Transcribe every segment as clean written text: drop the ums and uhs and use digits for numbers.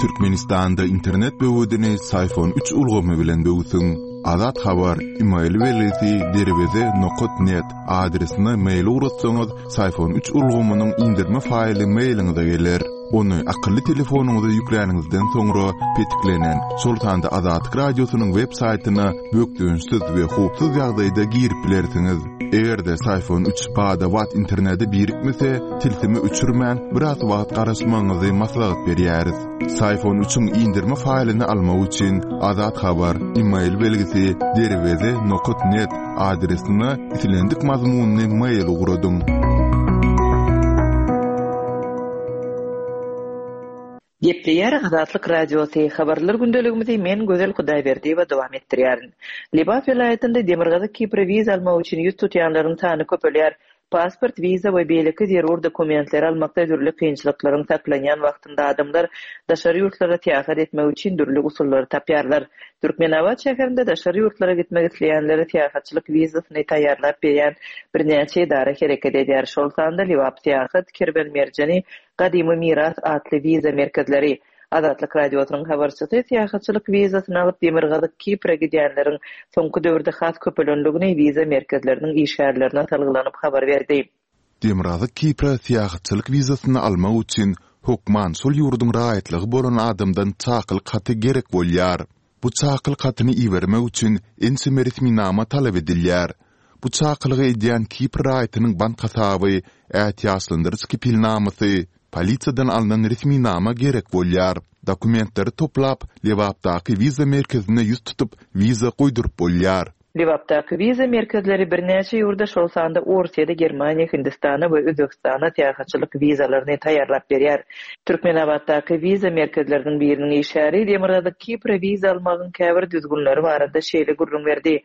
Türkmenistanda internet böwedini Syfon üç ulgamy bilen böwsüň. Azat Habar, email belgisi derweze nokat net adresine mail ugratsaňyz, Syfon üç ulgamynyň indirme faýly mailiňize geler. Ony akylly telefonyňyza ýükläniňizden soňra petiklenen, şol sanda Azatlyk Radiosynyň web saýtyna bökdençsiz we howpsuz ýagdaýda girip bilersiňiz. Eger-de Syfon üç bada-bat internete birikmese, tilsimi öçürmän, biraz wagt garaşmagyňyzy maslahat berýäris. Syfon üçiň indirme faýlyny almak üçin Azat Habar, email belgisi, derweze nokat net adresine islendik mazmunly mail ugradyň. Gepleýär Azatlyk Radiosy, Habarlar gündeligimizi men Gözel Hudaýberdiýewa dowam etdirýärin. Lebap welaýatynda Demirgazyk Kipre wiza almak üçin ýüz tutýanlaryň sany köpelýär. Pasport, wiza we beýleki zerur dokumentleri almakda dürli kynçylyklaryň saklanýan wagtynda adamlar daşary ýurtlara syýahat etmek üçin dürli usullary tapýarlar. Türkmenabat şäherinde daşary ýurtlara gitmek isleýänlere syýahatçylyk wizasyny taýýarlap berýän birnäçe edara hereket edýär, şol sanda Lebap syýahat, Kerwen merjeni, Gadymy miras atly wiza merkezleri. Azatlyk Radiosynyň habarçysy syýahatçylyk wizasyny alyp Demirgazyk Kipre gidýänleriň soňky döwürde has köpelendigini wiza merkezleriniň işgärlerine salgylanyp habar berdi. Demirgazyk Kipre syýahatçylyk wizasyny almak üçin hökman şol ýurduň raýatlygy bolan adamdan çakylyk haty gerek bolýar. Bu çakylyk hatyny ibermek üçin ençeme resminama talap edilýär. Bu çakylygy edýän Kipr raýatynyň bank hasaby, ätiýaçlandyryş kepilnamasy, polisiýadan alnan resminama gerek bolýar. Dokumentleri toplap, Lebapdaky wiza merkezine ýüz tutup, wiza goýduryp bolýar. Lebapdaky wiza merkezleri birnäçe ýurda, şol sanda Orsýede, Germaniýa, Hindistana we Özbegistana syýahatçylyk wizalaryny taýýarlap berýär. Türkmenabatdaky wiza merkezleriniň biriniň işgäri Demirgazyk Kipre wiza almagyň käbir düzgünleri barada şeýle gürrüň berdi.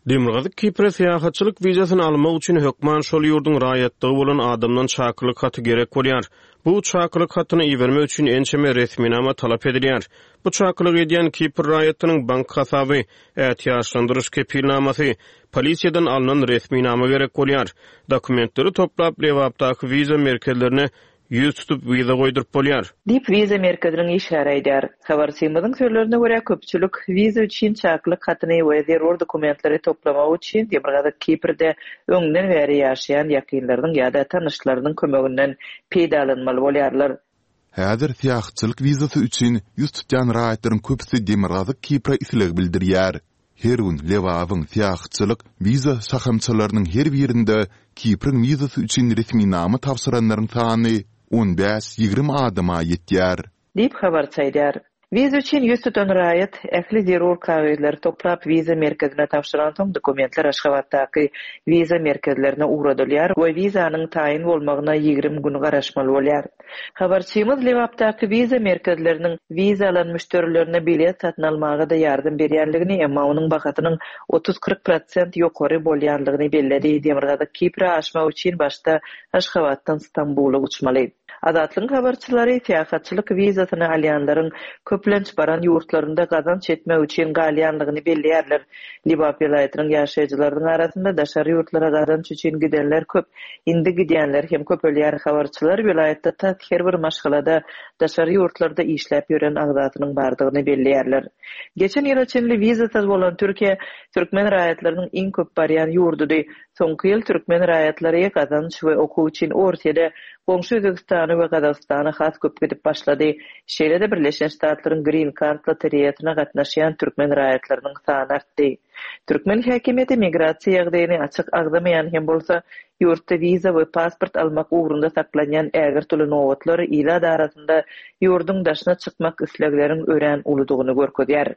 Demirgazyk Kipre syýahatçylyk wizasyny almak üçin hökman şol ýurduň raýatlygy bolan adamdan çakylyk haty gerek bolýar. Bu çakylyk hatyny ibermek üçin ençeme resminama talap edilýär. Bu çakylygy edýän Kipr raýatynyň bank hasaby, ätiýaçlandyryş kepilnamasy, polisiýadan alnan resminama gerek bolýar. Dokumentleri toplap, Lebapdaky wiza merkezlerine ýüz tutup wiza goýduryp bolýar. Diýip, wiza merkeziniň işgäri aýdýar. Habarçymyzyň sözlerine görä, köpçülik wiza üçin çakylyk hatyny we zerur dokumentleri toplamak üçin Demirgazyk Kiprde öňden bäri ýaşaýan ýakynlarynyň ýa-da tanyşlarynyň kömeginden peýdalanmaly bolýarlar. Häzir syýahatçylyk wizasy üçin ýüz tutýan raýatlaryň köpüsi Demirgazyk Kipre isleg bildirýär. Her gün Lebabyň syýahatçylyk wiza şahamçalarynyň her birinde Kipriň wizasy üçin resminama tabşyranlaryň sany on bäş-ýigrimi adama ýetýär. Diýip, habarçy aýdýar. Wiza üçin ýüz tutan raýat ähli zerur kagyzlary toplap, wiza merkezine tabşyransoň, dokumentler Aşgabatdaky wiza merkezlerine ugradylýar we wizanyň taýyn bolmagyna 20 gün garaşmaly bolýar. Habarçymyz Lebapdaky wiza merkezleriniň wiza alan müşderilerine bilet satyn almaga-da ýardam berýänligini, emma onuň bahasynyň otuz-kyrk prosent ýokary bolýanlygyny belledi. Demirgazyk Kipre aşmak üçin başda Aşgabatdan Stambula uçmaly. Azatlygyň habarçylary syýahatçylyk wizasyny alýanlaryň köplenç baran ýurtlarynda gazanç etmek üçin galýanlygyny belleýärler. Lebap welaýatynyň ýaşaýjylarynyň arasynda daşary ýurtlara gazanç üçin gidenler köp. Indi gidýänler hem köpelýär. Habarçylar welaýatda tas her bir maşgalada daşary ýurtlarda işläp ýören agzasynyň bardygyny belleýärler. Geçen ýyla çenli wizasyz bolan Türkiýe türkmen raýatlarynyň iň köp barýan ýurdudy. Soňky ýyl türkmen raýatlary gazanç we okuw üçin Orsýede, goňşy Özbegistana we Gazagystana has köp gidip başlady. Şeýle-de Birleşen Ştatlaryň Green Card lotereýasyna gatnaşýan türkmen raýatlarynyň sany artdy. Türkmen häkimiýeti migrasiýa ýagdaýyny açyk agzamaýan hem bolsa, ýurtda wiza we pasport almak ugrunda saklanýan ägirt uly nobatlar ilat arasynda ýurduň daşyna çykmak islegleriň örän uludygyny görkezýär.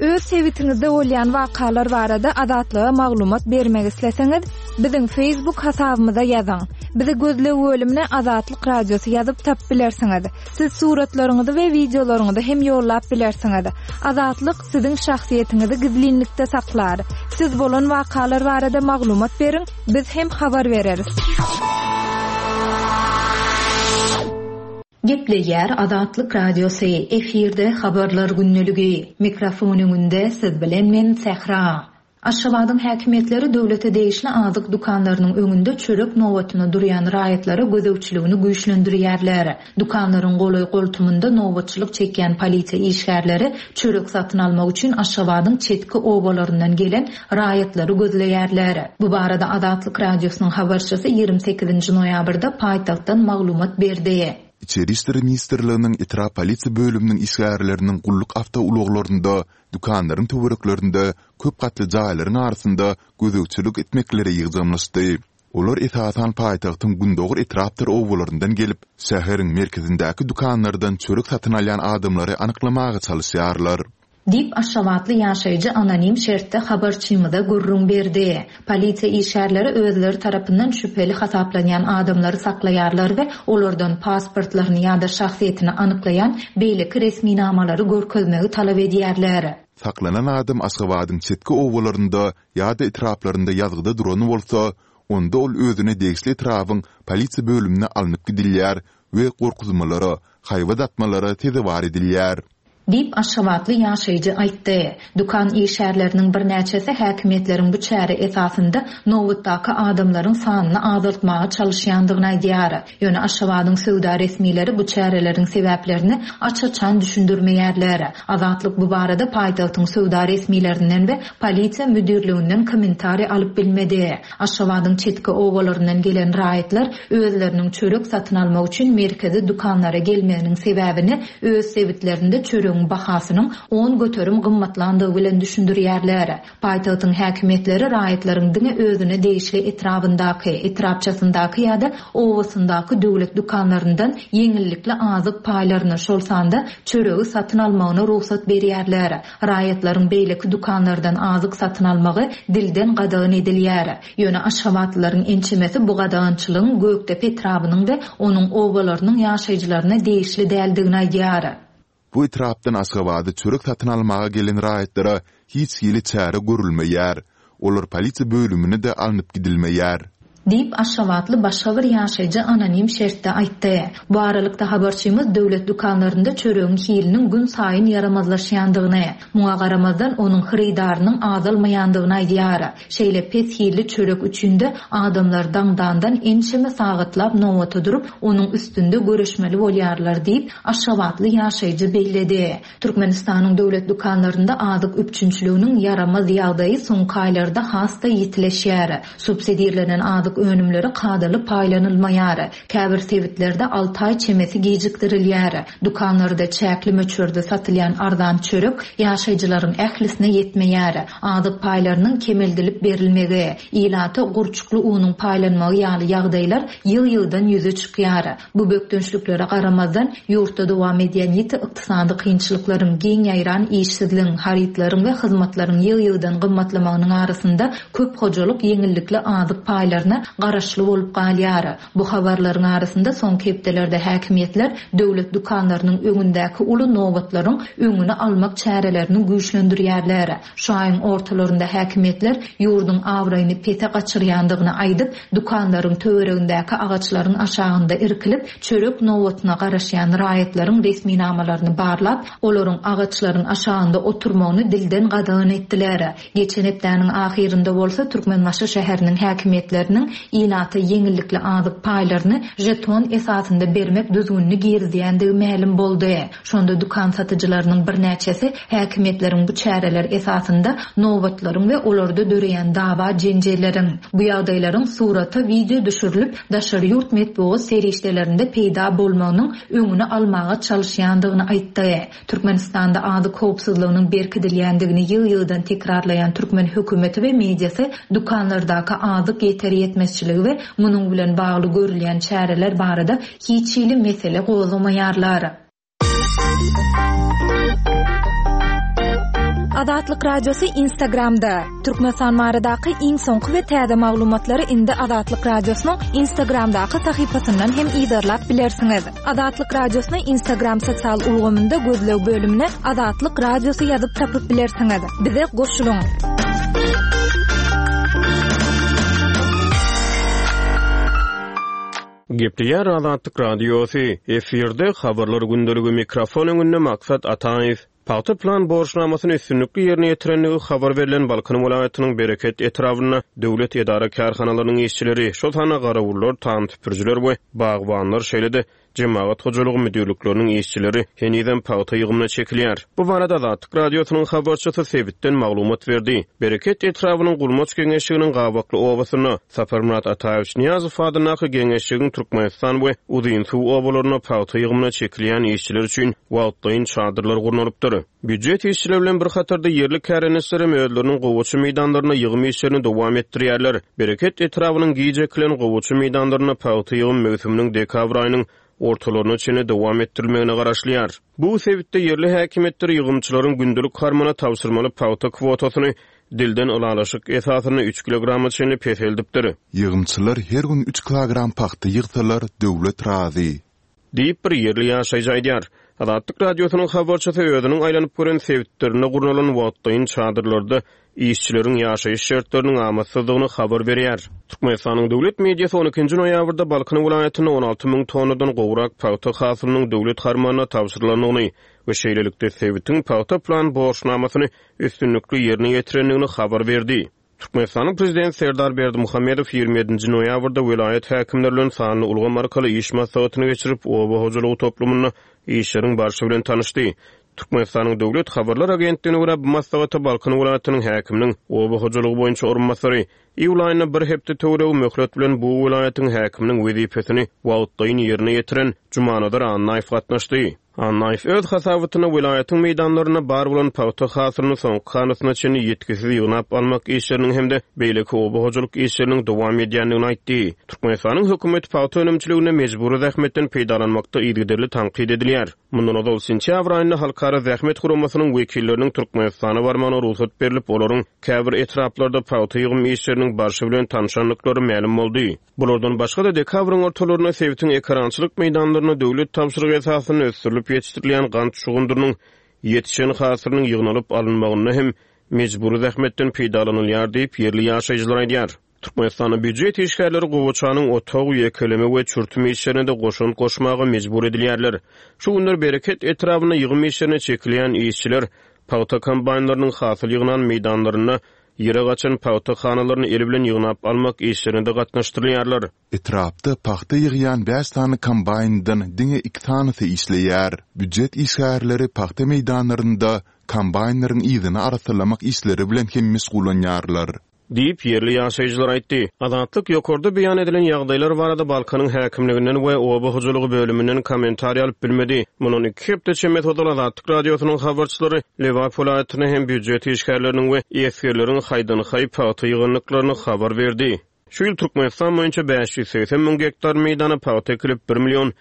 Öz sebitiňizde bolýan wakalar barada Azatlyga maglumat bermek isleseňiz, biziň Facebook hasabymyza ýazyň. Bizi gözleg bölümine Azatlyk Radiosy ýazyp tapyp bilersiňiz. Siz suratlaryňyzy we wideolaryňyzy hem ýollap bilersiňiz. Azatlyk siziň şahsyýetiňizi gizlinlikde saklar. Siz bolan wakalar barada maglumat beriň, biz hem habar bereris. Gepleýär Azatlyk Radiosy, efirde Habarlar gündeligi. Mikrofon öňünde siz bilen men Sähra. Aşgabadyň häkimiýetleri döwlete degişli azyk dükanlarynyň öňünde çörek nobatyna durýan raýatlara gözegçiligini güýçlendirýärler. Dükanlaryň golaý-goltumynda nobatçylyk çekýän polisiýa işgärleri çörek satyn almak üçin Aşgabadyň çetki obalaryndan gelen raýatlary gözleýärler. Bu barada Azatlyk Radiosynyň habarçysy 28-nji noýabrda paýtagtdan maglumat berdi. Içeri işler ministrliginiň etrap polisiýa bölüminiň işgärleriniň gulluk awtoulaglarynda dükanlaryň töwereklerinde köp gatly jaýlaryň arasynda gözegçilik etmekleri ýygjamlaşdy. Olar esasan paýtagtyň gündogar etrapdyr obalaryndan gelip, şäheriň merkezindäki dükanlardan çörek satyn alýan adamlary anyklamaga çalyşýarlar. Diýip, aşgabatly ýaşaýjy anonim şertde habarçymyza gürrüň berdi. Polisiýa işgärleri özleri tarapyndan şübheli hasaplanýan adamlary saklaýarlar we olardan pasportlaryny ýa-da şahsyýetini anyklaýan beýleki resminamalary görkezmegi talap edýärler. Saklanan adam Aşgabadyň çetki obalarynda ýa-da etraplarynda ýazgyda duran bolsa, onda ol özüne degişli etrabyň polisiýa bölümine alnyp gidilýär we gorkuzmalara, haýbat atmalara sezewar edilýär. Diýip, aşgabatly ýaşaýjy aýtdy. Dükan işgärleriniň birnäçesi häkimiýetleriň bu çäre esasynda nobatdaky adamlaryň sanyny azaltmaga çalyşýandygyny aýdýar. Ýöne Aşgabadyň söwda resmileri bu çäreleriň sebäplerini aç-açan düşündirmeýärler. Azatlyk bu barada paýtagtyň söwda resmilerinden we polisiýa müdirliginden kommentariý alyp bilmedi. Aşgabadyň çetki obalaryndan gelen raýatlar özleriniň çörek satyn almak üçin merkezi dükanlara gelmeginiň sebäbini öz sebitlerinde çöregiň bahasynyň 10% gymmatlandygy bilen düşündirýärler. Paýtagtyň häkimiýetleri raýatlaryň diňe özüne degişli etrabyndaky, etrapçasyndaky ýa-da obasyndaky döwlet dükanlaryndan ýeňillikli azyk paýlaryny, şol sanda çöregi satyn almagyna rugsat berýärler. Raýatlaryň beýleki dükanlardan azyk satyn almagy dilden gadagan edilýär. Ýöne aşgabatlylaryň ençemesi bu gadagançylygyň Gökdepe etrabynyň we onuň obalarynyň ýaşaýjylaryna degişli däldigini aýdýar. Bu etrapdan Aşgabada çörek satyn almaga gelen raýatlara hiç hili çäre görülmeýär. Olar polisiýa bölümine-de alnyp gidilmeýär. Diýip, aşgabatly başga bir ýaşaýjy anonim şertde aýtdy. Bu aralykda, habarçymyz döwlet dükanlarynda çöregiň hiliniň günsaýyn ýaramazlaşýandygyny, muňa garamazdan, onuň hyrydarynyň azalmaýandygyny aýdýar. Şeýle pes hilli çörek üçin-de adamlar daňdandan ençeme sagatlap nobata durup, onuň üstünde göreşmeli bolýarlar diýip, aşgabatly ýaşaýjy belledi. Türkmenistanyň döwlet dükanlarynda azyk üpjünçiliginiň ýaramaz ýagdaýy soňky aýlarda has-da ýitileşýär. Subsidirlenen azyk önümleri kadaly paýlanylmaýar. Käbir sebitlerde alty aý çemesi gijikdirilýär. Dükanlarda çäkli möçberde satylýan arzan çörek ýaşaýjylaryň ählisine ýetmeýär. Azyk paýlarynyň kemeldilip berilmegi, ilata gurçukly unuň paýlanmagy ýaly ýagdaýlar ýygy-ýygydan ýüze çykýar. Bu bökdençliklere garamazdan, ýurtda dowam edýän ýiti ykdysady kynçylyklaryň, giň ýaýran işsizligiň, harytlaryň we hyzmatlaryň ýygy-ýygydan gymmatlamagynyň arasynda köp hojalyk ýeňillikli azyk paýlaryna garaşly bolup galýar. Bu habarlaryň arasynda soňky hepdelerde häkimiýetler döwlet dükanlarynyň öňündäki uly nobatlaryň öňüni almak çärelerini güýçlendirýärler. Şu aýyň ortalarynda häkimiýetler ýurduň abraýyny pese gaçyrýandygyny aýdyp, dükanlaryň töweregindäki agaçlaryň aşagynda irkilip, çörek nobatyna garaşýan raýatlaryň resminamalaryny barlap, olaryň agaçlaryň aşagynda oturmagyny dilden gadagan etdiler. Geçen hepdäniň ahyrynda bolsa Türkmenbaşy şäheriniň häkimiýetleriniň ilata ýeňillikli azyk paýlaryny žeton esasynda bermek düzgünini girizýändigi mälim boldy. Şonda dükan satyjylarynyň birnäçesi häkimiýetleriň bu çäreler esasynda nobatlaryň we olarda döreýän dawa-jenjelleriň, bu ýagdaýlaryň surata, wideo düşürilip, daşary ýurt metbugat serişdelerinde peýda bolmagynyň öňüni almaga çalyşýandygyny aýtdy. Türkmenistanda azyk howpsuzlygynyň berkidilýändigini ýygy-ýygydan tekrarlaýan türkmen hökümeti we mediasy dükanlardaky azyk ýeter-ýetmezçiligi we munuň bilen bagly görülýän çäreler barada hiç hili mesele gozgamaýarlar. Azatlyk Radiosy Instagramda, Türkmenistan baradaky iň soňky we täze maglumatlary indi Azatlyk Radiosynyň Instagramdaky sahypasyndan hem yzarlap bilersiňiz. Azatlyk Radiosyny Instagram sosial ulgamynda gözleg bölümine Azatlyk Radiosy ýazyp tapyp bilersiňiz. Bize goşulyň! Gepleýär Azatlyk Radiosy, efirde Habarlar gündeligi mikrofon öňünde Maksat Ataýew. Pagta plan borçnamasyny üstünlikli ýerine ýetirendigi habar berlen Balkan welaýatynyň Bereket etrabynda döwlet edara-kärhanalarynyň işçileri, şol sanda garawullar, tam süpürijiler we bagbanlar, şeýle-de jemagat hojalygy müdirlikleriniň işçileri henizem pagta ýygymyna çekilýär. Bu barada Azatlyk Radiosynyň habarçysy sebitden maglumat berdi. Bereket etrabynyň Gulmaç geňeşliginiň Gabakly obasynda, Saparmyrat Ataýewiç Nyýazow adyndaky geňeşligiň Türkmenistan we Uzynsuw obalarynda pagta ýygymyna çekilýän işçiler üçin wagtlaýyn çadyrlar gurnalypdyr. Býujet işçileri bilen bir hatarda ýerli kärendeçiler hem özleriniň gowaça meýdanlarynda ýygym işlerini dowam etdirýärler. Bereket etrabynyň giç ekilen gowaça meýdanlarynda pagta ýygym möwsüminiň dekabr aýynyň ortalaryna çenli dowam etdirilmegine garaşylýar. Bu sebitde ýerli häkimiýetler ýygymçylaryň gündelik harmana tabşyrmaly pagta kwotasyny dilden ylalaşyk esasynda üç kilograma çenli peseldipdir. Ýygymçylar her gün üç kilogram pagta ýygsalar, döwlet razy. Diýip, bir ýerli ýaşaýjy aýdýar. Azatlyk Radiosynyň habarçysy özüniň aýlanyp gören sebitlerinde gurnalan wagtlaýyn çadyrlarda işçileriň ýaşaýyş şertleriniň amatsyzdygyny habar berýär. Türkmenistanyň döwlet mediasy on ikinji noýabrda Balkan welaýatynda 16 müň tonnadan gowrak pagta hasylynyň döwlet harmanyna tabşyrylandygyny we şeýlelikde sebitiň pagta plan borçnamasyny üstünlikli ýerine ýetirendigini habar berdi. Türkmenistanyň Prezidenti Serdar Berdimuhamedow 27-nji noýabrda welaýat häkimleri bilen sanly ulgam arkaly iş maslahatyny geçirip, oba hojalygy toplumynda işleriň barşy bilen tanyşdy. Türkmenistanyň Döwlet habarlar agentligine görä, bu maslahata Balkan welaýatynyň häkiminiň oba hojalygy boýunça orunbasary, iýul aýynda bir hepde töweregi möhlet bilen bu welaýatyň häkiminiň wezipesini wagtlaýyn ýerine ýetiren Jumanazar Annaýew gatnaşdy. Annaýew öz hasabatynda welaýatyň meýdanlarynda bar bolan pagta hasylyny soňky hanasyna çenli ýitgisiz ýygnap almak işleriniň hem-de beýleki oba hojalyk işleriniň dowam edýändigini aýtdy. Türkmenistanyň hökümeti pagta önümçiliginde mejbury zähmetden peýdalanmakda yzygiderli tankyt edilýär. Mundan ozal, sentýabr aýynda Halkara zähmet guramasynyň wekilleriniň Türkmenistana barmagyna rugsat berlip, olaryň käbir etraplarda pagta ýygym işleriniň barşy bilen tanşandyklary mälim boldy. Bulardan başga-da, dekabryň ortalarynda sebitiň ekerançylyk meýdanlarynda döwlet tabşyrygy esasynda ösdürilip ýetişdirilýän gant şugundyrynyň ýetişen hasylynyň ýygnalyp alynmagynda hem mejbury zähmetden peýdalanylýar diýip, ýerli ýaşaýjylar aýdýar. Türkmenistanda býujet işgärleri gowaçanyň otag, ýekeleme we çürtüm işlerine-de goşant goşmaga mejbur edilýärler. Şu günler Bereket etrabynda ýygym işlerine çekilýän işçiler pagta kombaýnlarynyň hasyl ýygnan meýdanlarynda Ýere gaçan pagta hanalaryny el bilen ýygnap almak işlerine-de gatnaşdyrylýarlar. Etrapda pagta ýygýan bäş sany kombaýndan diňe iki sanysy işleýär. Býujet işgärleri pagta meýdanlarynda kombaýnlaryň yzyny arassalamak işleri bilen hem meşgullanýarlar. Diýip, ýerli ýaşaýjylar aýtdy. Azatlyk ýokarda beýan edilen ýagdaýlar barada Balkanyň häkimliginden we oba hojalygy bölüminden kommentariý alyp bilmedi. Mundan iki hepde çemesi ozal Azatlyk Radiosynyň habarçylary Lebap welaýatynda hem býujet işgärleriniň we esgerleriň haýdan-haý pagta ýygandyklaryny habar berdi. Şu ýyl Türkmenistan boýunça 580 müň gektar meýdana pagta ekilip, bir million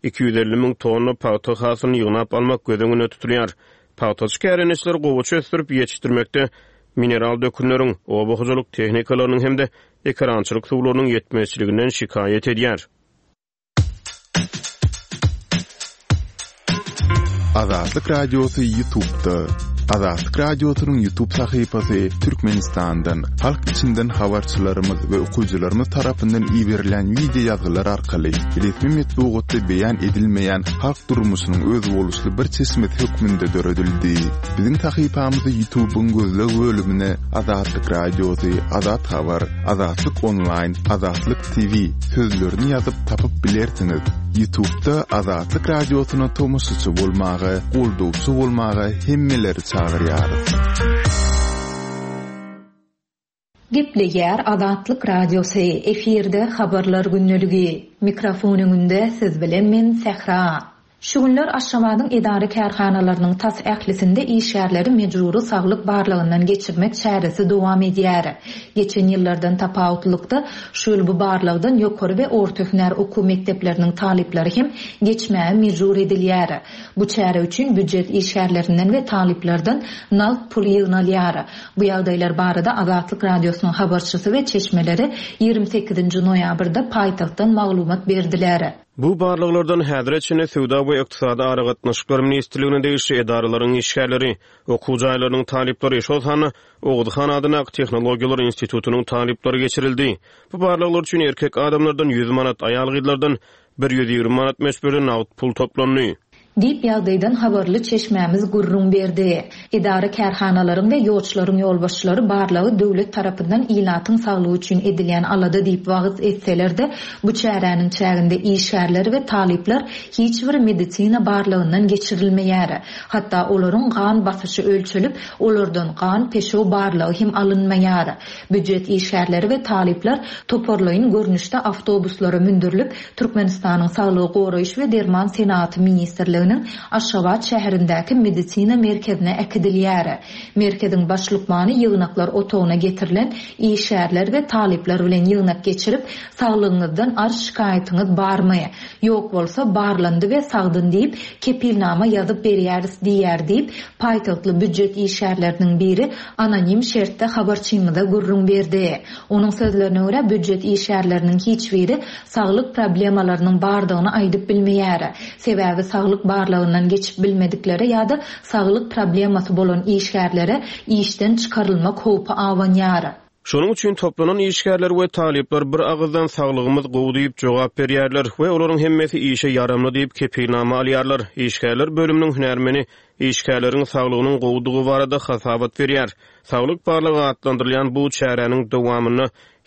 250 müň tonna pagta hasylyny ýygnap almak göz öňünde tutulýar. Pagtaçy kärendeçiler gowaça ösdürip ýetişdirmekde mineral dökünleriň, oba hojalyk tehnikalarynyň hem-de ekerançylyk suwlarynyň ýetmezçiliginden şikaýat edýär. Azatlyk Radiosy Ýutubda. Azatlyk Radiosynyň Ýutub sahypasy Türkmenistandan, halk içinden habarçylarymyz we okyjylarymyz tarapyndan iberilen wideo ýazgylar arkaly resmi metbugatda beýan edilmeýän halk durmuşynyň özboluşly bir çeşmesi hökmünde döredildi. Biziň sahypamyzy Ýutubyň gözleg bölümine Azatlyk Radiosy, Azat Habar, Azatlyk Onlaýn, Azatlyk TV sözlerini ýazyp tapyp bilersiňiz. Ýutubda Azatlyk Radiosyna tomaşaçy bolmaga, goldawçy bolmaga hemmeleri çagyrýarys. Gepleýär Azatlyk Radiosy, efirde Habarlar gündeligi. Mikrofon öňünde siz bilen men Sähra. Şu günler Aşgabadyň edara-kärhanalarynyň tas ählisinde işgärleri mejbury saglyk barlagyndan geçirmek çäresi dowam edýär. Geçen ýyllardan tapawutlylykda, şu ýyl bu barlagdan ýokary we orta hünär okuw mekdepleriniň talyplary hem geçmäge mejbur edilýär. Bu çäre üçin býujet işgärlerinden we talyplardan nagt pul ýygnalýar. Bu ýagdaýlar barada Azatlyk Radiosynyň habarçysy we çeşmeleri 28-nji noýabrda paýtagtdan maglumat berdiler. Bu barlaglardan häzire çenli Söwda we ykdysady aragatnaşyklar ministrligine degişli edaralaryň işgärleri, okuw jaýlarynyň talyplary, şol sanda Oguz han adyndaky Tehnologiýalar institutynyň talyplary geçirildi. Bu barlaglar üçin erkek adamlardan 100 manat, aýal-gyzlardan 120 manat möçberde nagt pul toplandy. Diýip, ýagdaýdan habarly çeşmämiz gürrüň berdi. Edara-kärhanalaryň we ýoçlaryň ýolbaşçylary barlagy döwlet tarapyndan ilatyň saglygy üçin edilýän alada diýip wagyz etseler-de, bu çäräniň çäginde işgärler we talyplar hiç bir medisina barlagyndan geçirilmeýär. Hatda olaryň gan basyşy ölçelip, olardan gan-peşew barlagy hem alynmaýar. Býujet işgärleri we talyplar toparlaýyn görnüşde awtobuslara mündürilip, Türkmenistanyň Saglygy goraýyş we derman senagaty ministrliginiň Aşgabat şäherindäki medisina merkezine äkidilýär. Merkeziň baş lukmany ýygnaklar otagyna getirilen işgärler we talyplar bilen ýygnak geçirip, Saglygyňyzdan arz-şikaýatyňyz barmy? Ýok bolsa, barlandy we sagdyn diýip, kepilnama ýazyp berýäris diýýär diýip, paýtagtly býujet işgärleriniň biri anonim şertde habarçymyza gürrüň berdi. Onuň sözlerine görä, býujet işgärleriniň hiç biri saglyk problemalarynyň bardygyny aýdyp bilmeýär. Sebäbi saglyk barlagyndan geçip bilmediklere ýa-da saglyk problemasy bolan işgärlere işden çykarylmak howpy abanýar. Şonuň üçin toplanan işgärler we talyplar bir agyzdan saglygymyz gowy diýip jogap berýärler we olaryň hemmesi işe ýaramly diýip kepilnama alýarlar. Işgärler bölüminiň hünärmeni işgärleriň saglygynyň gowudygy barada hasabat berýär. Saglyk barlagy atlandyrylýan bu çäräniň dowamynda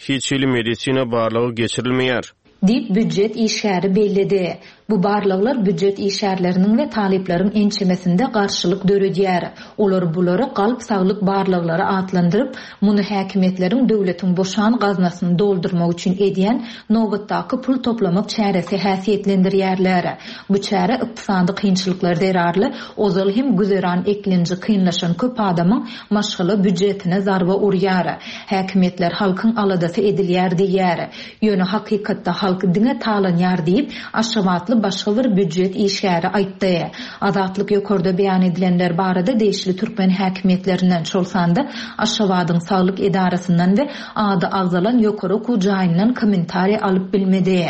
hiç hili medisina barlagy geçirilmeýär. Diýip, býujet işgäri belledi. Bu barlaglar býujet işgärleriniň we talyplaryň ençemesinde garşylyk döredýär. Olar bulary galp saglyk barlaglary atlandyryp, muny häkimiýetleriň döwletiň boşan gaznasyny doldurmak üçin edýän nobatdaky pul toplamak çäresi häsiýetlendirýärler. Bu çäre ykdysady kynçylyklar zerarly ozal hem güzeran eklenji kynlaşan köp adamyň maşgala býujetine zarba urýar. Häkimiýetler halkyň aladasy edilýär diýýär. Ýöne hakykatda halk diňe talanýar diýip, aşgabatly başga bir býujet işgäri aýtdy. Azatlyk ýokarda beýan edilenler barada degişli türkmen häkimiýetlerinden, şol sanda Aşgabadyň saglyk edarasyndan we ady agzalan ýokary okuw jaýyndan kommentariý alyp bilmedi.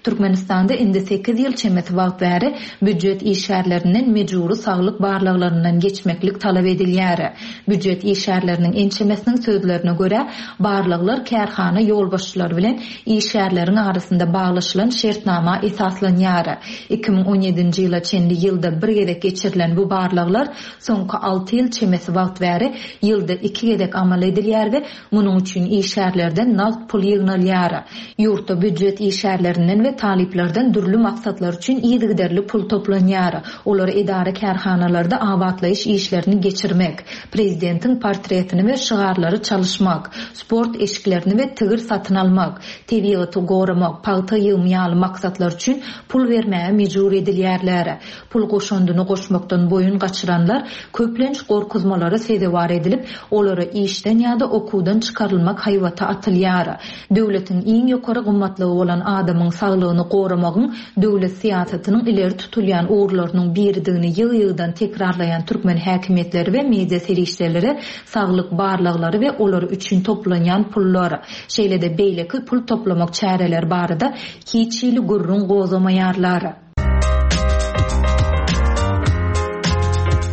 Türkmenistanda indi sekiz ýyl çemesi wagt bäri býujet işgärlerinden mejbury saglyk barlaglaryndan geçmeklik talap edilýär. Býujet işgärleriniň ençemesiniň sözlerine görä, barlaglar kärhana ýolbaşçylary bilen işgärleriň arasynda baglaşylan şertnama esaslanýar. 2017-nji ýyla çenli ýylda bir gezek geçirilen bu barlaglar soňky alty ýyl çemesi wagt bäri ýylda iki gezek amal edilýär we Munuň üçin işgärlerden nagt pul ýygnalýar. Ýurtda býujet işgärlerinden we talyplardan dürli maksatlar üçin yzygiderli pul toplanýar. Olar edara-kärhanalarda abatlaýyş işlerini geçirmek, prezidentiň portretini we şygarlary çalyşmak, sport eşiklerini we tigir satyn almak, tebigaty goramak, pagta ýygymy ýaly maksatlar üçin pul bermäge mejbur edilýärler. Pul goşandyny goşmakdan boýun gaçyranlar köplenç gorkuzmalara sezewar edilip, olara işden ýa-da okuwdan çykarylmak haýbaty atylýar. Döwletiň iň ýokary gymmatlygy bolan adamyň saglygyny goramagyň döwlet syýasatynyň ileri tutulýan ugurlarynyň biridigini ýygy-ýygydan tekrarlaýan türkmen häkimiýetleri we media serişdeleri saglyk barlaglary we olar üçin toplanýan pullar, şeýle-de beýleki pul toplamak çäreleri barada hiç hili gürrüň gozgamaýarlar.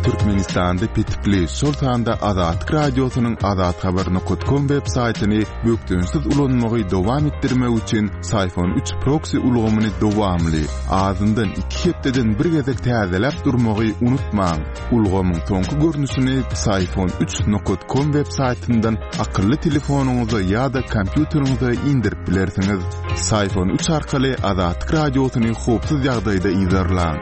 Türkmenistanda petikli, şol sanda Azatlyk Radiosynyň azathabar.com web saýtyny bökdençsiz ulanmagy dowam etdirmek üçin Syfon 3 proksi ulgamyny dowamly, azyndan iki hepdeden bir gezek täzeläp durmagy unutmaň. Ulgamyň soňky görnüşini Syfon 3 com web saýtyndan akylly telefonyňyza ýa-da kompýuteriňize indirip bilersiňiz. Syfon 3 arkaly Azatlyk Radiosyny howpsuz ýagdaýda yzarlaň.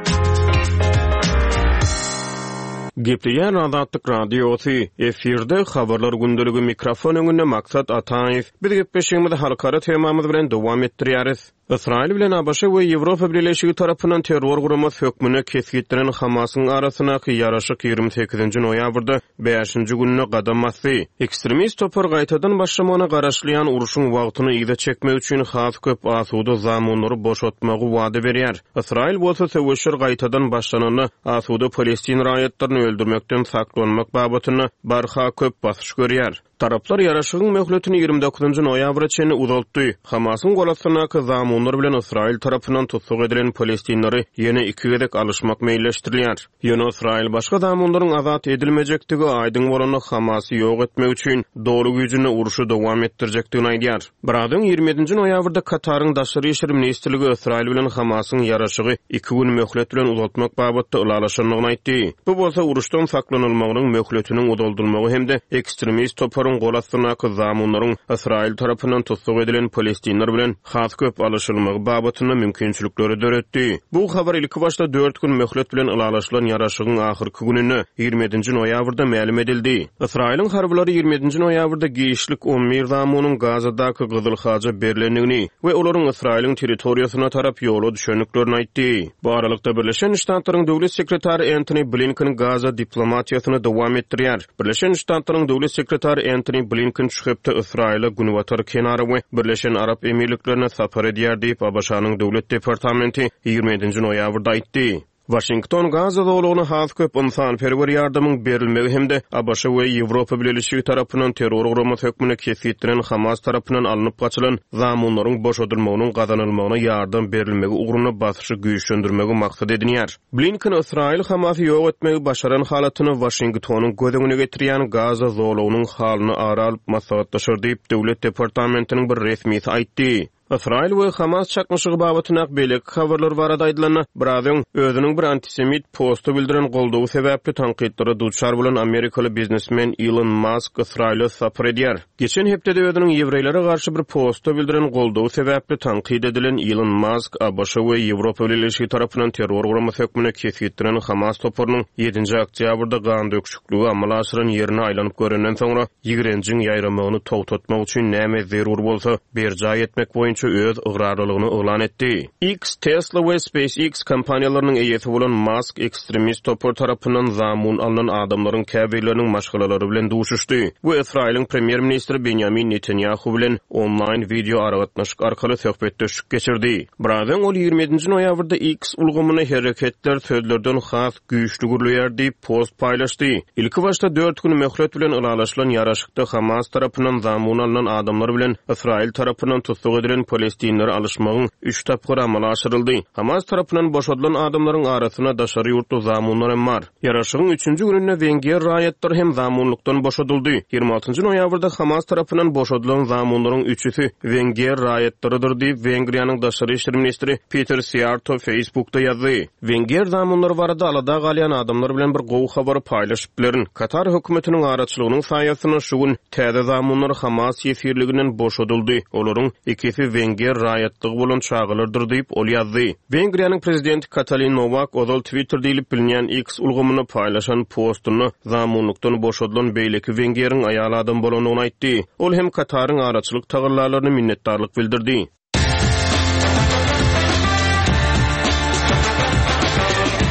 Gepleýär Azatlyk Radiosy, efirde Habarlar gündeligi mikrofon öňünde Maksat Ataýew. Biz gepleşigimizi halkara temamyz bilen dowam etdirýäris. Ysraýyl bilen ABŞ we Ýewropa Bileleşigi tarapyndan terror guramasy hökmünde kesgitlenen Hamasyň arasyndaky ýaraşyk 28-nji noýabrda bäşinji gününe gadam basdy. Ekstremist topar gaýtadan başlamagyna garaşylýan urşuň wagtyny yza çekmek üçin has köp asuda zamunlary boşatmagy wada berýär. Ysraýyl bolsa söweşler gaýtadan başlananda asuda palestin raýatlaryny. öldürmekden saklanmak babatynda barha köp basyş görýär. Taraplar ýaraşygyň möhletini 29 noýabra çenli uzaltdy. Hamasyň golastyndaky zamunlar bilen Ysraýyl tarapyndan tussag edilen palestinleri ýene iki gezek alyşmak meýilleşdirilýär. Ýöne Ysraýyl başga zamunlaryň azat edilmejekdigi aýdyň bolanda Hamasy ýok etmek üçin doly güýjünde urşy dowam etdirjekdigini aýdýar. Biraz öň, 27-nji noýabrda Kataryň Daşary işler ministrligi Ysraýyl bilen Hamasyň ýaraşygy iki gün möhlet bilen uzaltmak babatda ylalaşandygyny aýtdy. Bu bolsa uruşdan saklanylmagynyň möhletiniň uzaldylmagy hem-de ekstremist toparyň gol astyndaky zamunlaryň Ysraýyl tarapyndan tussag edilen palestinler bilen has köp alyşylmagy babatynda mümkinçilikleri döretdi. Bu habar ilkibaşda dört gün möhlet bilen ylalaşylan ýaraşygyň ahyrky gününde, 27-nji noýabrda mälim edildi. Ysraýylyň harbylary 27-nji noýabrda giçlik 11 zamunyň Gazadaky Gyzyl Haja berlendigini we olaryň Ysraýylyň territoriýasyna tarap ýola düşendiklerini aýtdy. Bu aralykda, Birleşen Ştatlaryň Döwlet sekretary Entoni Blinken Gaza diplomatiýasyny dowam etdirýär. Birleşen Ştatlaryň Döwlet sekretary Entoni Blinken şu hepde Ysraýyla, Günbatar kenara we Birleşen Arap Emirliklerine sapar edýär diýip, ABŞ-nyň Döwlet departamenti 27-nji noýabrda aýtdy. Waşington Gaza zolagyna has köp ynsanperwer ýardamyň berilmegi hem-de ABŞ we Ýewropa Bileleşigi tarapyndan terror guramasy hökmünde kesgitlenen Hamas tarapyndan alnyp gaçylan zamunlaryň boşadylmagynyň gazanylmagyna ýardam berilmegi ugrunda basyşy güýçlendirmegi maksat edinýär. Blinken Ysraýyl Hamasy ýok etmegi başaran halatynda Waşingtonyň göz öňüne getirýän Gaza zolagynyň halyny ara alyp maslahatlaşar diýip, Döwlet departamentiniň bir resmisi aýtdy. Ysraýyl we Hamas çaknyşygy babatyndaky beýleki habarlar barada aýdylanda, biraz öň, özüniň bir antisemit posta bildiren goldawy sebäpli tankytlara duçar bolan amerikaly biznesmen Ilon Mask Ysraýyla sapar edýär. Geçen hepdede özüniň ýewreýlere garşy bir posta bildiren goldawy sebäpli tankyt edilen Ilon Mask ABŞ we Ýewropa Bileleşigi tarapyndan terror guramasy hökmünde kesgitlenen Hamas toparynyň ýedinji oktýabrda gandöküşikligi amala aşyran ýerine aýlanyp görenden soňra ýigrenjiň ýaýramagyny togtatmak üçin näme zerur bolsa berjaý etmek boýunça öz ygrarlylygyny yglan etdi. X, Tesla we SpaceX kompaniýalarynyň eýesi bolan Mask ekstremist topar tarapyndan zamun alnan adamlaryň käbirleriniň maşgalalary bilen duşuşdy we Ysraýylyň premýer-ministri Benýamin Netanýahu bilen onlaýn wideo aragatnaşyk arkaly söhbetdeşlik geçirdi. Biraz öň ol 27-nji noýabrda X ulgamynda hereketler sözlerden has güýçli gürleýär diýip, post paýlaşdy. Ilkibaşda dört gün möhlet bilen ylalaşylan ýaraşykda Hamas tarapyndan zamun alnan adamlar bilen Ysraýyl tarapyndan tussag edilen palestinleri alyşmagyň üç tapgyry amala aşyryldy. Hamas tarapyndan boşadylan adamlaryň arasynda daşary ýurtly zamunlar hem bar. Ýaraşygyň üçünji gününde wenger raýatlary hem zamunlykdan boşadyldy. 26 noýabrda Hamas tarapyndan boşadylan zamunlaryň üçüsi wenger raýatlarydyr diýip, Wengriýanyň daşary işler ministri Peter Siýarto Facebookda ýazdy. Wenger zamunlary barada alada galýan adamlar bilen bir gowy habary paýlaşyp bilerin. Katar hökümetiniň araçylygynyň saýasynda şu gün täze zamunlar Hamas ýesirliginden boşadyldy. Olaryň ikisi wenger raýatlygy bolan çagalardyr diýip, ol ýazdy. Wengriýanyň prezidenti Katalin Nowak ozal Twitter diýlip bilinýän X ulgamynda paýlaşan postunda zamunlykdan boşadylan beýleki wengeriň aýal adam bolandygyny aýtdy. Ol hem Kataryň araçylyk tagallalaryna minnetdarlyk bildirdi.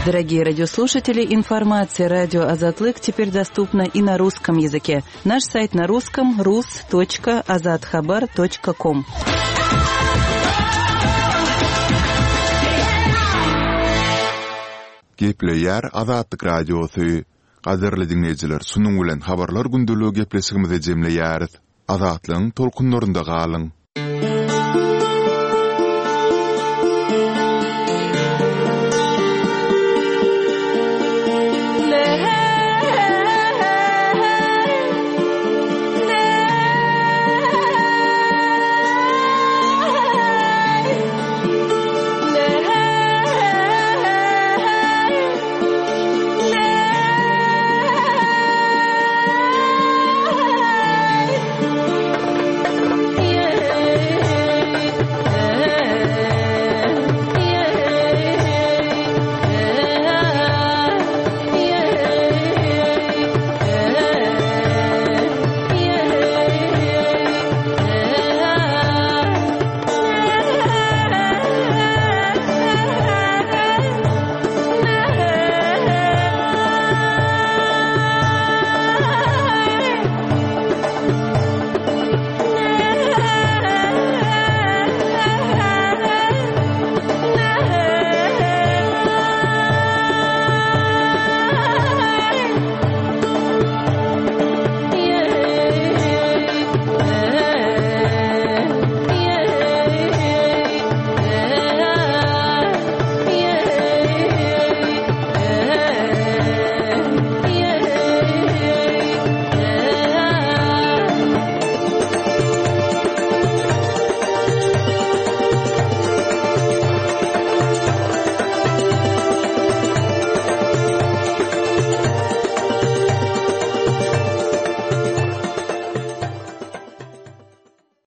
Дорогие радиослушатели, информация радио Азатлык теперь доступна и на русском языке. Наш сайт на русском rus.azathabar.com. Gepleýär Azatlyk Radiosy. Gadyrly diňleýjiler, şunuň bilen Habarlar gündeligi gepleşigimizi jemleýäris. Azatlygyň tolkunlarynda galyň!